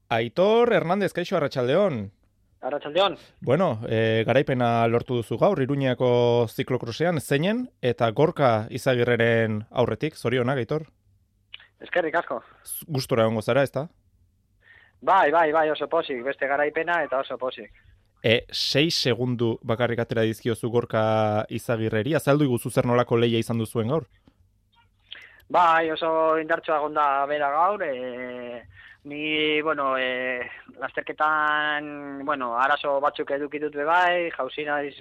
Aitor Hernández, kaixo, arratsaldeon. Arratsaldeon. Bueno, garaipena lortu duzu gaur, Iruñako ziklokrosean, zeinen, eta Gorka Izagirreren aurretik, zorionak, Aitor? Eskerrik asko. Gustora egongo zara, ezta? Bai, oso pozik, beste garaipena eta oso pozik. 6 segundu bakarrik atera dizkiozu Gorka Izagirreri, azaldu iguzu zer nolako lehia izan duzuen gaur? Bai, oso indartsua gonda bera gaur, ni, lasterketan, arazo batzuk edukitut bai, jauzi naiz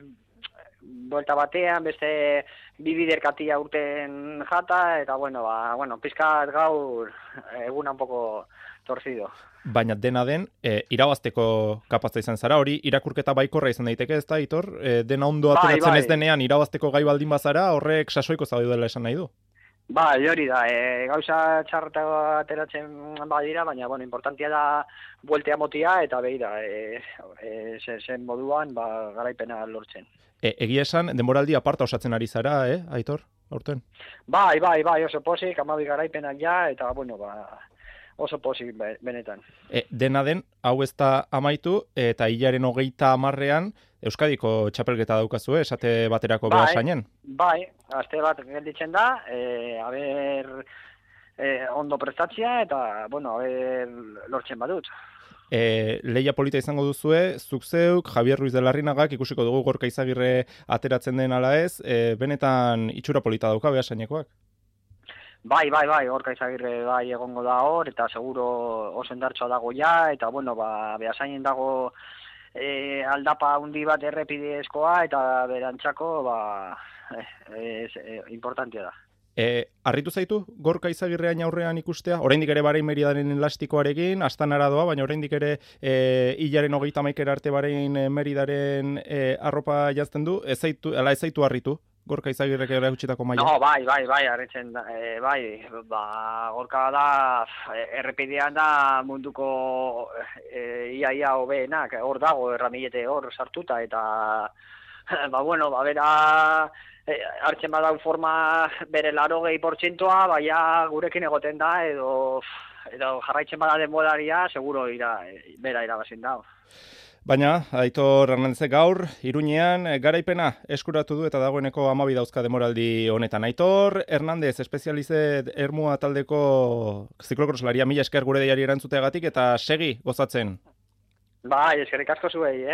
buelta batean, beste bi biderkatia urten jata, eta pizkat gaur eguna un poco torcido. Baina dena den, irabazteko kapazta izan zara, hori irakurketa baikorra izan daiteke, ez da, Aitor? Dena ondo ateratzen ez denean irabazteko gai baldin bazara, horrek sasoiko zaudela esan nahi du? Bai, hori da, gauza txarretago ateratzen badira, baina, importantia da bueltea motia, eta behira, zen moduan, garaipena lortzen. Egia esan, denboraldi aparta osatzen ari zara, Aitor, aurten? Bai, oso pozik, 12 garaipenak ja, eta, oso pozik benetan. Dena den, hau ez da amaitu, eta hilaren 30ean Euskadiko txapelketa daukazu, esate baterako Beasainen? Bai, aste bat gelditzen da, ondo prestatzea, eta, lortzen badut. Lehia polita izango duzue, zuk zeuk, Javier Ruiz de Larrinagak, ikusiko dugu Gorka Izagirre ateratzen den ala ez, benetan itxura polita dauka Beasainekoak? Bai, Gorka Izagirre bai egongo da hor, eta seguro oso indartsua dago ja, eta Beasainen dago aldapa handi bat errepidezkoa, eta berantzako importantia da. Harritu zaitu Gorka Izagirreain aurrean ikustea? Oraindik ere Bahrein Meridaren elastikoarekin, Astanara doa, baina oraindik ere hilaren 31 arte Bahrein Meridaren arropa jazten du, ez zaitu harritu? Gorka Izagirrek erakutsitako maila? No, bai, harritzen da, Gorka da, errepidean da munduko ia hobeenak, hor dago, erramilete hor sartuta, eta, bera, hartzen badau forma bere 80%, baina gurekin egoten da, edo jarraitzen bada denboraria, seguro bera irabazin da. Baina, Aitor Hernándezek gaur, Iruñean garaipena eskuratu du eta dagoeneko 12 dauzka demoraldi honetan. Aitor Hernández, espezializet Ermua taldeko ziklokroslaria, mila esker gure deiari erantzuteagatik eta segi gozatzen. Bai, eskerrik asko zuei,